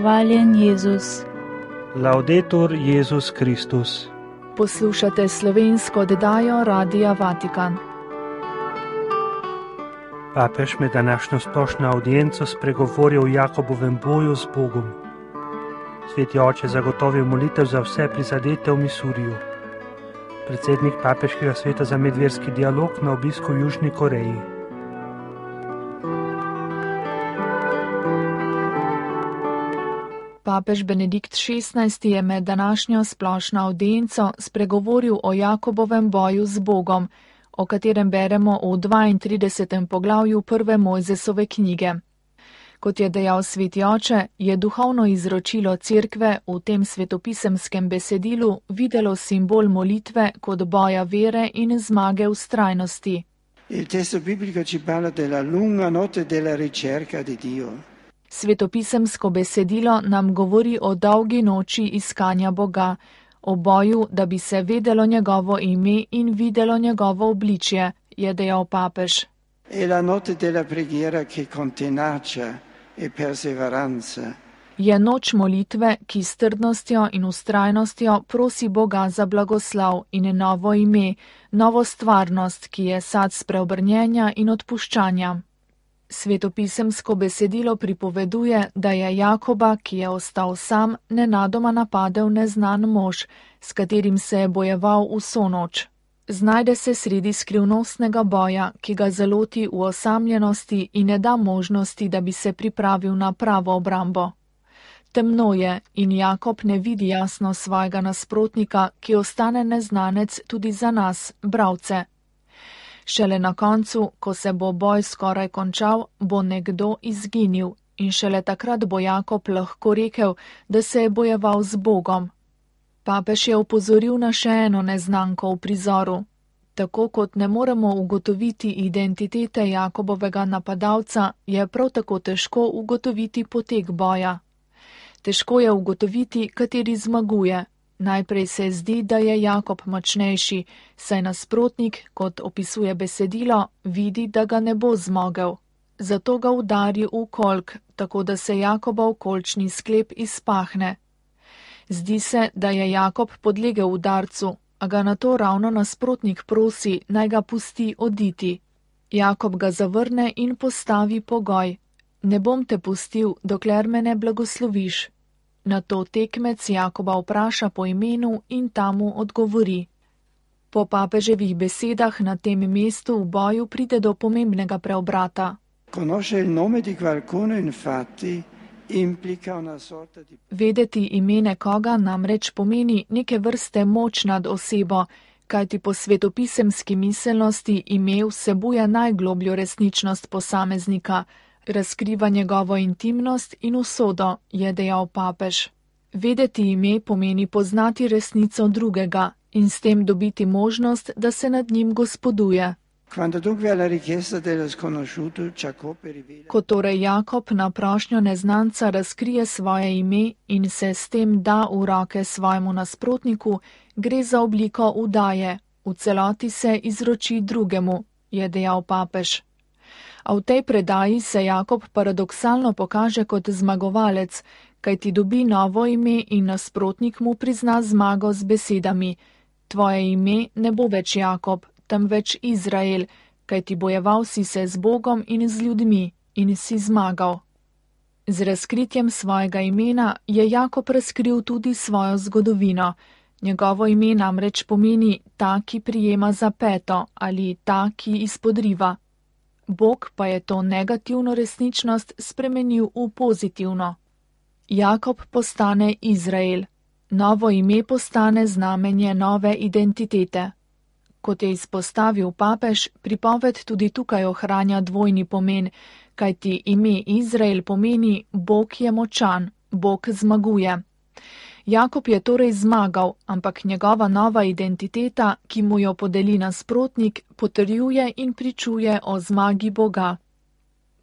hvaljen Jezus. Laudetur Jezus Kristus. Poslušate slovensko oddajo Radia Vatikan. Papež med današnjo splošno audienco spregovoril o Jakobovem boju z Bogom. Sveti oče zagotovil molitev za vse prizadete v Misuriju. Predsednik Papeškega sveta za medverski dialog na obisku v Južni Koreji. Papež Benedikt XVI je med današnjo splošno audienco spregovoril o Jakobovem boju z Bogom, o katerem beremo v 32. poglavju prve Mojzesove knjige. Kot je dejal sveti oče, je duhovno izročilo cerkve v tem svetopisemskem besedilu videlo simbol molitve kot boja vere in zmage vztrajnosti. Il testo biblico ci parla della lunga notte della ricerca di Dio. Svetopisemsko besedilo nam govori o dolgi noči iskanja Boga, o boju, da bi se vedelo njegovo ime in videlo njegovo obličje, je dejal papež. È la notte della preghiera che con tenacia e perseveranza. Je noč molitve, ki s trdnostjo in vztrajnostjo prosi Boga za blagoslov in novo ime, novo stvarnost, ki je sad spreobrnjenja in odpuščanja. Svetopisemsko besedilo pripoveduje, da je Jakoba, ki je ostal sam, nenadoma napadel neznan mož, s katerim se je bojeval vso noč. Znajde se sredi skrivnostnega boja, ki ga zaloti v osamljenosti in ne da možnosti, da bi se pripravil na pravo obrambo. Temno je in Jakob ne vidi jasno svojega nasprotnika, ki ostane neznanec tudi za nas, bralce. Šele na koncu, ko se bo boj skoraj končal, bo nekdo izginil in šele takrat bo Jakob lahko rekel, da se je bojeval z Bogom. Papež je opozoril na še eno neznanko v prizoru. Tako kot ne moremo ugotoviti identitete Jakobovega napadalca, je prav tako težko ugotoviti potek boja. Težko je ugotoviti, kateri zmaguje. Najprej se zdi, da je Jakob močnejši, saj nasprotnik, kot opisuje besedilo, vidi, da ga ne bo zmogel. Zato ga udari v kolk, tako da se Jakobov kolčni sklep izpahne. Zdi se, da je Jakob podlegel udarcu, a ga nato ravno nasprotnik prosi, naj ga pusti oditi. Jakob ga zavrne in postavi pogoj: ne bom te pustil, dokler me ne blagosloviš. Nato tekmec Jakoba vpraša po imenu in ta mu odgovori. Po papeževih besedah na tem mestu v boju pride do pomembnega preobrata. Vedeti ime nekoga namreč pomeni neke vrste moč nad osebo, kajti po svetopisemski miselnosti ime vsebuje najglobljo resničnost posameznika, razkriva njegovo intimnost in usodo, je dejal papež. Vedeti ime pomeni poznati resnico drugega in s tem dobiti možnost, da se nad njim gospoduje. Ko torej Jakob na prošnjo neznanca razkrije svoje ime in se s tem da v roke svojemu nasprotniku, gre za obliko vdaje, v celoti se izroči drugemu, je dejal papež. A v tej predaji se Jakob paradoksalno pokaže kot zmagovalec, kajti dobi novo ime in nasprotnik mu prizna zmago z besedami: tvoje ime ne bo več Jakob, temveč Izrael, kajti bojeval si se z Bogom in z ljudmi in si zmagal. Z razkritjem svojega imena je Jakob razkril tudi svojo zgodovino. Njegovo ime namreč pomeni ta, ki prijema za peto, ali ta, ki izpodriva. Bog pa je to negativno resničnost spremenil v pozitivno. Jakob postane Izrael. Novo ime postane znamenje nove identitete. Kot je izpostavil papež, pripoved tudi tukaj ohranja dvojni pomen, kajti ime Izrael pomeni Bog je močan, Bog zmaguje. Jakob je torej zmagal, ampak njegova nova identiteta, ki mu jo podeli nasprotnik, potrjuje in pričuje o zmagi Boga.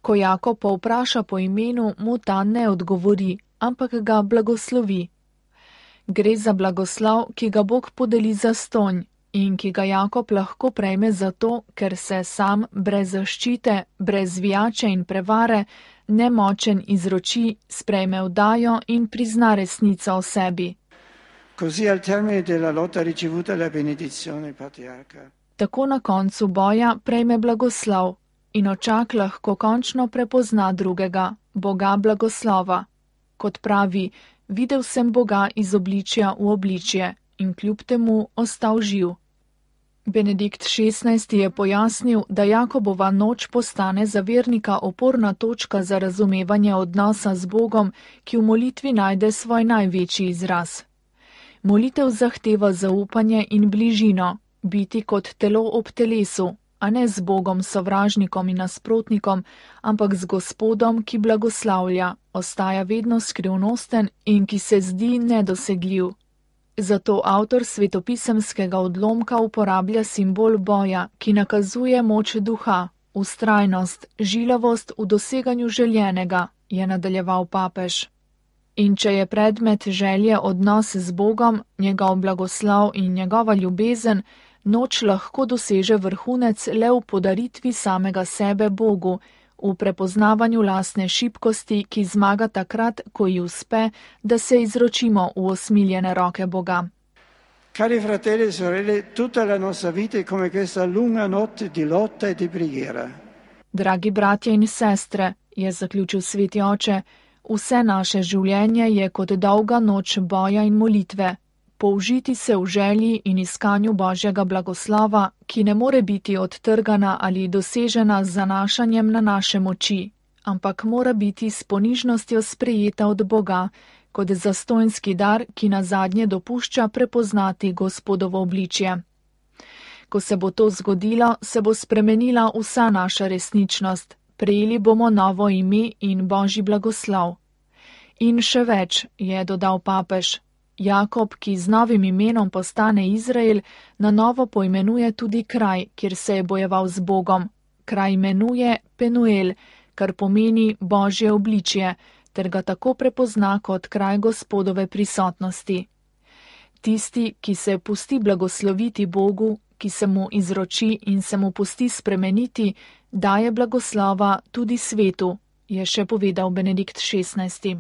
Ko Jakob povpraša po imenu, mu ta ne odgovori, ampak ga blagoslovi. Gre za blagoslov, ki ga Bog podeli zastonj in ki ga Jakob lahko prejme zato, ker se sam, brez zaščite, brez zvijače in prevare, nemočen izroči, sprejme vdajo in prizna resnico o sebi. Così al termine della lotta ricevuta la benedizione patriarca. Tako na koncu boja prejme blagoslov in očak lahko končno prepozna drugega, Boga blagoslova. Kot pravi, videl sem Boga iz obličja v obličje in kljub temu ostal živ. Benedikt XVI je pojasnil, da Jakobova noč postane za vernika oporna točka za razumevanje odnosa z Bogom, ki v molitvi najde svoj največji izraz. Molitev zahteva zaupanje in bližino, biti kot telo ob telesu, a ne z Bogom sovražnikom in nasprotnikom, ampak z Gospodom, ki blagoslavlja, ostaja vedno skrivnosten in ki se zdi nedosegljiv. Zato avtor svetopisemskega odlomka uporablja simbol boja, ki nakazuje moč duha, vztrajnost, žilavost v doseganju željenega, je nadaljeval papež. In če je predmet želje odnos z Bogom, njegov blagoslov in njegova ljubezen, noč lahko doseže vrhunec le v podaritvi samega sebe Bogu, v prepoznavanju lastne šibkosti, ki zmaga takrat, ko ji uspe, da se izročimo v osmiljene roke Boga. Cari fratelli e sorelle, tutta la nostra vita è come questa lunga notte di lotta e di preghiera. Dragi bratje in sestre, je zaključil sveti oče, vse naše življenje je kot dolga noč boja in molitve. Použiti se v želji in iskanju Božjega blagoslova, ki ne more biti odtrgana ali dosežena z zanašanjem na naše moči, ampak mora biti s ponižnostjo sprejeta od Boga, kot zastonjski dar, ki nazadnje dopušča prepoznati Gospodovo obličje. Ko se bo to zgodilo, se bo spremenila vsa naša resničnost, prejeli bomo novo ime in Božji blagoslov. In še več, je dodal papež. Jakob, ki z novim imenom postane Izrael, na novo poimenuje tudi kraj, kjer se je bojeval z Bogom. Kraj imenuje Penuel, kar pomeni Božje obličje, ter ga tako prepozna kot kraj Gospodove prisotnosti. Tisti, ki se pusti blagosloviti Bogu, ki se mu izroči in se mu pusti spremeniti, daje blagoslova tudi svetu, je še povedal Benedikt XVI.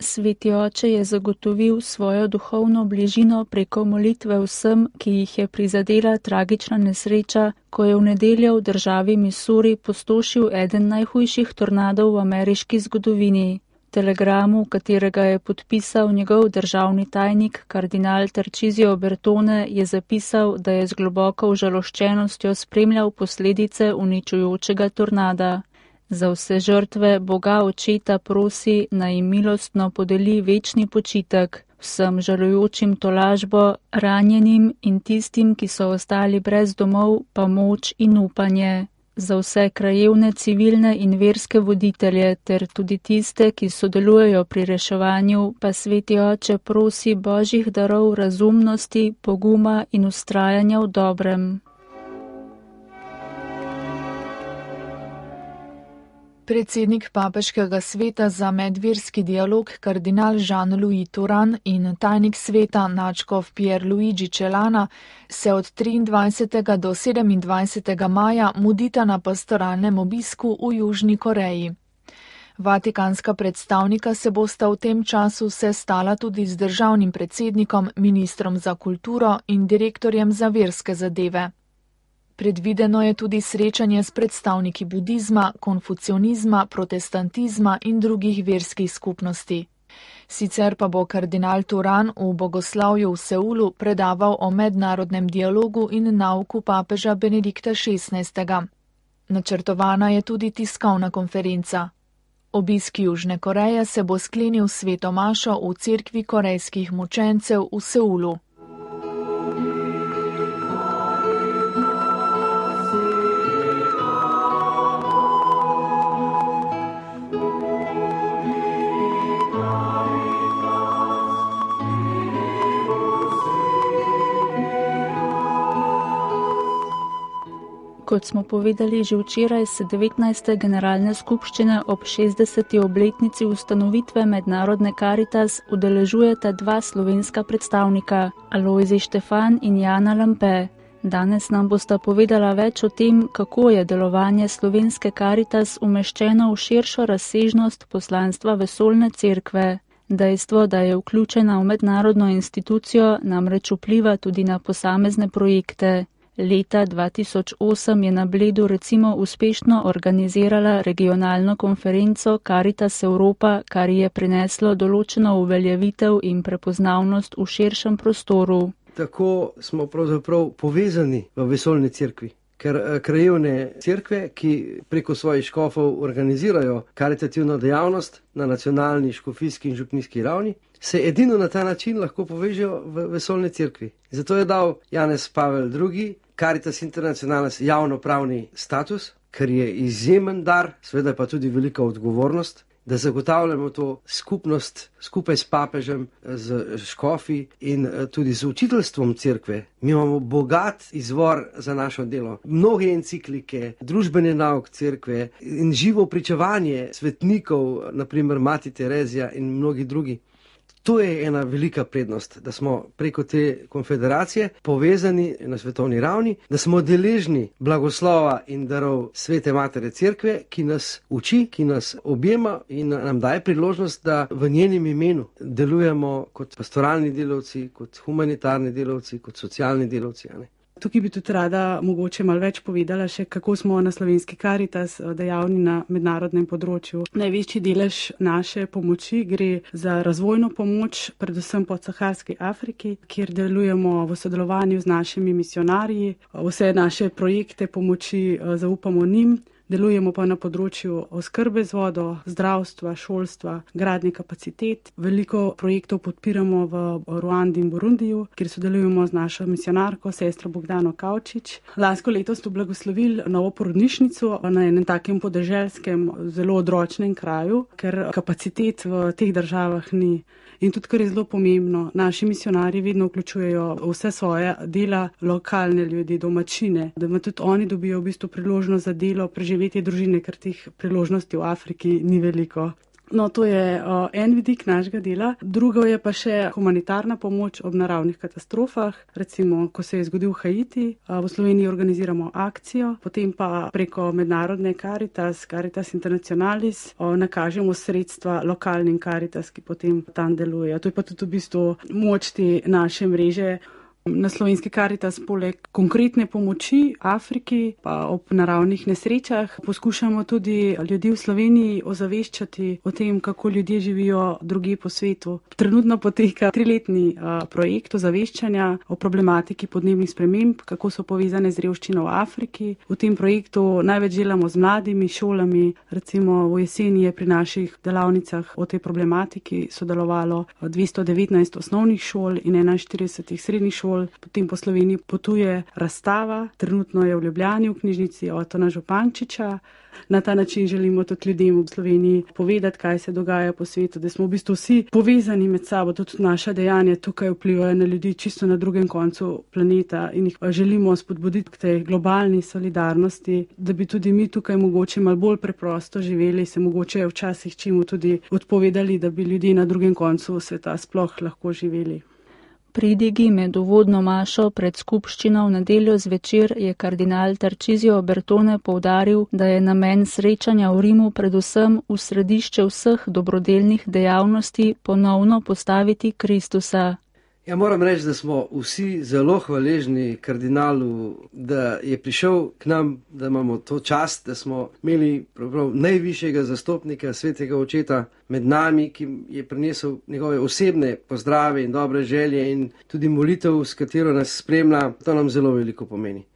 Sveti oče je zagotovil svojo duhovno bližino preko molitve vsem, ki jih je prizadela tragična nesreča, ko je v nedeljo v državi Missouri pustošil eden najhujših tornadov v ameriški zgodovini. V telegramu, katerega je podpisal njegov državni tajnik, kardinal Tarcisio Bertone, je zapisal, da je z globoko užaloščenostjo spremljal posledice uničujočega tornada. Za vse žrtve Boga Očeta prosi, naj jim milostno podeli večni počitek, vsem žalujočim tolažbo, ranjenim in tistim, ki so ostali brez domov, pa moč in upanje. Za vse krajevne, civilne in verske voditelje ter tudi tiste, ki sodelujejo pri reševanju, pa sveti oče prosi Božjih darov razumnosti, poguma in vztrajanja v dobrem. Predsednik Papeškega sveta za medverski dialog kardinal Jean-Louis Turan in tajnik sveta nadškof Pierluigi Celana se od 23. do 27. maja mudita na pastoralnem obisku v Južni Koreji. Vatikanska predstavnika se bosta v tem času sestala tudi z državnim predsednikom, ministrom za kulturo in direktorjem za verske zadeve. Predvideno je tudi srečanje s predstavniki budizma, konfucionizma, protestantizma in drugih verskih skupnosti. Sicer pa bo kardinal Turan v bogoslavju v Seulu predaval o mednarodnem dialogu in nauku papeža Benedikta XVI. Načrtovana je tudi tiskovna konferenca. Obisk Južne Koreje se bo sklenil sveto mašo v cerkvi korejskih mučencev v Seulu. Kot smo povedali že včeraj, se 19. generalne skupščine ob 60. obletnici ustanovitve Mednarodne Karitas udeležujeta dva slovenska predstavnika, Alojzij Štefan in Jana Lampe. Danes nam bosta povedala več o tem, kako je delovanje slovenske Karitas umeščeno v širšo razsežnost poslanstva Vesoljne cerkve. Dejstvo, da je vključena v mednarodno institucijo, namreč vpliva tudi na posamezne projekte. Leta 2008 je na Bledu recimo uspešno organizirala regionalno konferenco Karitas Europa, kar je prineslo določeno uveljavitev in prepoznavnost v širšem prostoru. Tako smo pravzaprav povezani v Vesoljni cerkvi, ker krajevne cerkve, ki preko svojih škofov organizirajo karitativno dejavnost na nacionalni, škofijski in župnijski ravni, se edino na ta način lahko povežejo v Vesoljni cerkvi. Zato je dal Janez Pavel II. Caritas Internationalis javnopravni status, ker je izjemen dar, seveda pa tudi velika odgovornost, da zagotavljamo to skupnost skupaj s papežem, z škofi in tudi z učiteljstvom cerkve. Mi imamo bogat izvor za našo delo. Mnoge enciklike, družbeni nauk cerkve in živo pričevanje svetnikov, naprimer Mati Terezija in mnogi drugi. To je ena velika prednost, da smo preko te konfederacije povezani na svetovni ravni, da smo deležni blagoslova in darov Svete Matere Cerkve, ki nas uči, ki nas objema in nam daje priložnost, da v njenem imenu delujemo kot pastoralni delavci, kot humanitarni delavci, kot socialni delavci. Tukaj bi tudi rada mogoče malo več povedala še, kako smo na slovenski Karitas dejavni na mednarodnem področju. Največji delež naše pomoči gre za razvojno pomoč, predvsem po Saharski Afriki, kjer delujemo v sodelovanju z našimi misionarji. Vse naše projekte pomoči zaupamo njim. Delujemo pa na področju oskrbe z vodo, zdravstva, šolstva, gradnje kapacitet. Veliko projektov podpiramo v Ruandi in Burundiju, kjer sodelujemo z našo misionarko, sestro Bogdano Kavčič. Lansko leto smo blagoslovili novo porodnišnico na enem takem podeželskem, zelo odročnem kraju, ker kapacitet v teh državah ni. In tudi, kar je zelo pomembno, naši misionarji vedno vključujejo vse svoje dela lokalne ljudi, domačine, da tudi oni dobijo v bistvu priložnost za delo, preživetje družine, ker teh priložnosti v Afriki ni veliko. No, to je en vidik našega dela. Drugo je pa še humanitarna pomoč ob naravnih katastrofah. Recimo, ko se je zgodil Haiti, v Sloveniji organiziramo akcijo, potem pa preko mednarodne Caritas Internationalis, nakažemo sredstva lokalnim Caritas, ki potem tam delujejo. To je pa tudi v bistvu moč te naše mreže. Na slovenski Karitas poleg konkretne pomoči Afriki pa ob naravnih nesrečah poskušamo tudi ljudi v Sloveniji ozaveščati o tem, kako ljudje živijo drugje po svetu. Trenutno poteka 3-letni projekt ozaveščanja o problematiki podnebnih sprememb, kako so povezane z revščino v Afriki. V tem projektu največ delamo z mladimi šolami, recimo v jeseni je pri naših delavnicah o tej problematiki sodelovalo 219 osnovnih šol in 41 srednjih šol. Potem po Sloveniji potuje razstava, trenutno je v Ljubljani v knjižnici Otona Župančiča. Na ta način želimo tudi ljudem v Sloveniji povedati, kaj se dogaja po svetu, da smo v bistvu vsi povezani med sabo, da tudi naša dejanja tukaj vplivajo na ljudi čisto na drugem koncu planeta in jih želimo spodbuditi k tej globalni solidarnosti, da bi tudi mi tukaj mogoče malo bolj preprosto živeli, se mogoče včasih čemu tudi odpovedali, da bi ljudje na drugem koncu sveta sploh lahko živeli. Pridigi med uvodno mašo pred skupščino v nedeljo zvečer je kardinal Tarcisio Bertone poudaril, da je namen srečanja v Rimu predvsem v središče vseh dobrodelnih dejavnosti ponovno postaviti Kristusa. Ja, moram reči, da smo vsi zelo hvaležni kardinalu, da je prišel k nam, da imamo to čast, da smo imeli najvišjega zastopnika svetega očeta med nami, ki je prinesel njegove osebne pozdrave in dobre želje in tudi molitev, s katero nas spremlja. To nam zelo veliko pomeni.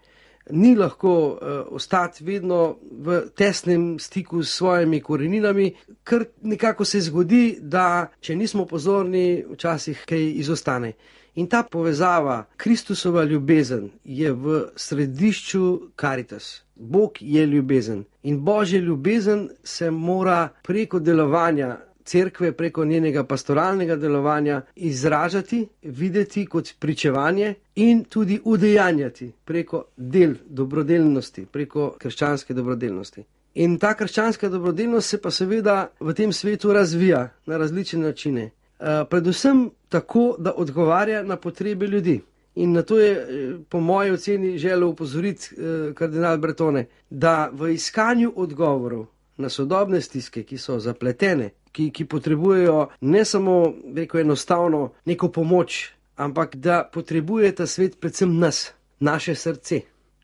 Ni lahko ostati vedno v tesnem stiku s svojimi koreninami, ker nekako se zgodi, da če nismo pozorni, včasih kaj izostane. In ta povezava, Kristusova ljubezen, je v središču Caritas. Bog je ljubezen in Božja ljubezen se mora preko delovanja cerkve preko njenega pastoralnega delovanja izražati, videti kot pričevanje in tudi udejanjati preko del dobrodelnosti, preko krščanske dobrodelnosti. In ta krščanska dobrodelnost se pa seveda v tem svetu razvija na različne načine. Predvsem tako, da odgovarja na potrebe ljudi. In na to je po moji oceni želel upozoriti kardinal Bertone, da v iskanju odgovorov na sodobne stiske, ki so zapletene, ki potrebujejo ne samo enostavno neko pomoč, ampak da potrebuje ta svet predvsem nas, naše srce,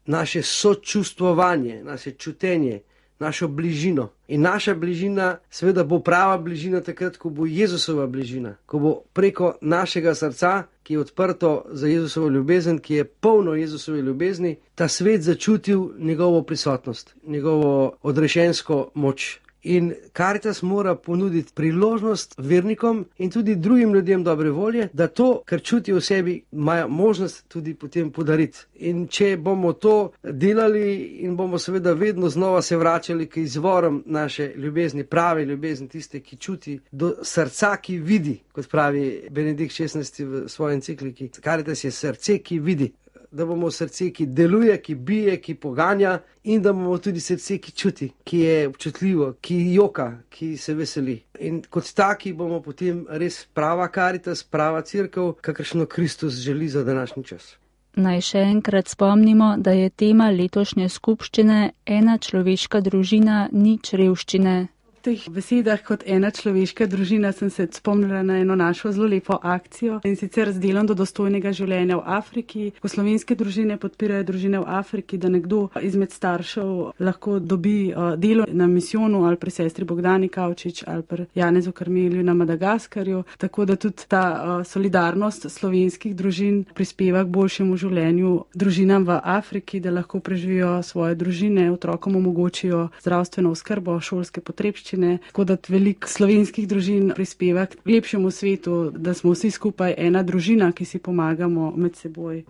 naše sočustvovanje, naše čutenje, našo bližino. In naša bližina seveda bo prava bližina takrat, ko bo Jezusova bližina, ko bo preko našega srca, ki je odprto za Jezusovo ljubezen, ki je polno Jezusove ljubezni, ta svet začutil njegovo prisotnost, njegovo odrešensko moč. In Karitas mora ponuditi priložnost vernikom in tudi drugim ljudem dobre volje, da to, kar čutijo v sebi, imajo možnost tudi potem podariti. In če bomo to delali in bomo seveda vedno znova se vračali k izvorom naše ljubezni, prave ljubezni, tiste, ki čuti, do srca, ki vidi, kot pravi Benedikt XVI v svoji encikliki. Karitas je srce, ki vidi. Da bomo srce, ki deluje, ki bije, ki poganja, in da bomo tudi srce, ki čuti, ki je občutljivo, ki joka, ki se veseli. In kot taki bomo potem res prava Karitas, prava cerkev, kakršno Kristus želi za današnji čas. Naj še enkrat spomnimo, da je tema letošnje skupščine ena človeška družina, nič revščine. V teh besedah kot ena človeška družina sem se spomnila na eno našo zelo lepo akcijo, in sicer z delom do dostojnega življenja v Afriki, ko slovenske družine podpirajo družine v Afriki, da nekdo izmed staršev lahko dobi delo na misijonu ali pri sestri Bogdani Kavčič ali pri Janezu Karmelju na Madagaskarju, tako da tudi ta solidarnost slovenskih družin prispeva k boljšemu življenju družinam v Afriki, da lahko preživijo svoje družine, otrokom omogočijo zdravstveno oskrbo, šolske potrebščine. Tako da veliko slovenskih družin prispeva k lepšemu svetu, da smo vsi skupaj ena družina, ki si pomagamo med seboj.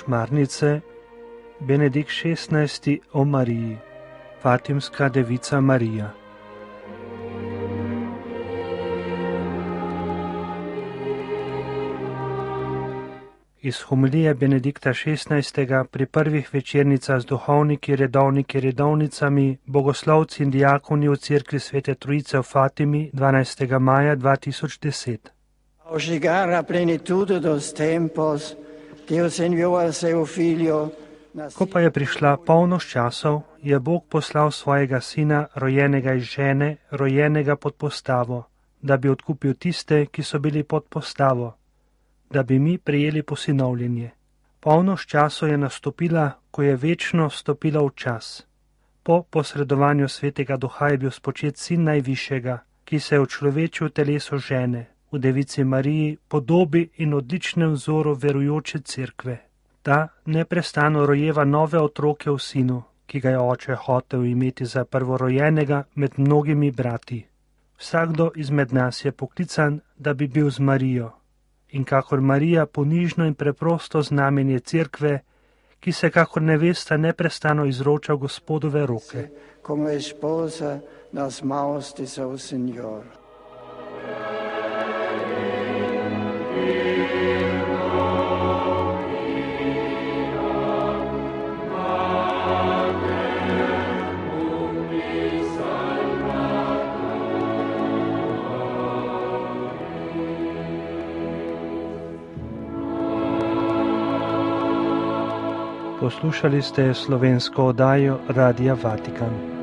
Šmarnice, Benedikt XVI o Mariji, Fatimska devica Marija. Iz homilije Benedikta XVI pri prvih večernicah z duhovniki, redovniki, redovnicami, bogoslovci in diakoni v cerkvi Svete Trojice v Fatimi 12. maja 2010. Ao chegar a plenitude dos tempos, Deus enviou a seu filho. Ko pa je prišla polnost časov, je Bog poslal svojega sina, rojenega iz žene, rojenega pod postavo, da bi odkupil tiste, ki so bili pod postavo, da bi mi prejeli posinovljenje. Polnost časov je nastopila, ko je večno stopila v čas. Po posredovanju Svetega Duha je bil spočet sin Najvišjega, ki se je učlovečil v telesu žene, v devici Mariji, podobi in odličnem vzoru verujoče cerkve. Ta neprestano rojeva nove otroke v sinu, ki ga je oče hotel imeti za prvorojenega med mnogimi brati. Vsakdo izmed nas je poklican, da bi bil z Marijo. In kakor Marija ponižno in preprosto znamenje cerkve, ki se kakor nevesta neprestano izroča v Gospodove roke. Como esposa nas mãos de seu Senhor. Poslušali ste slovensko oddajo Radia Vatikan.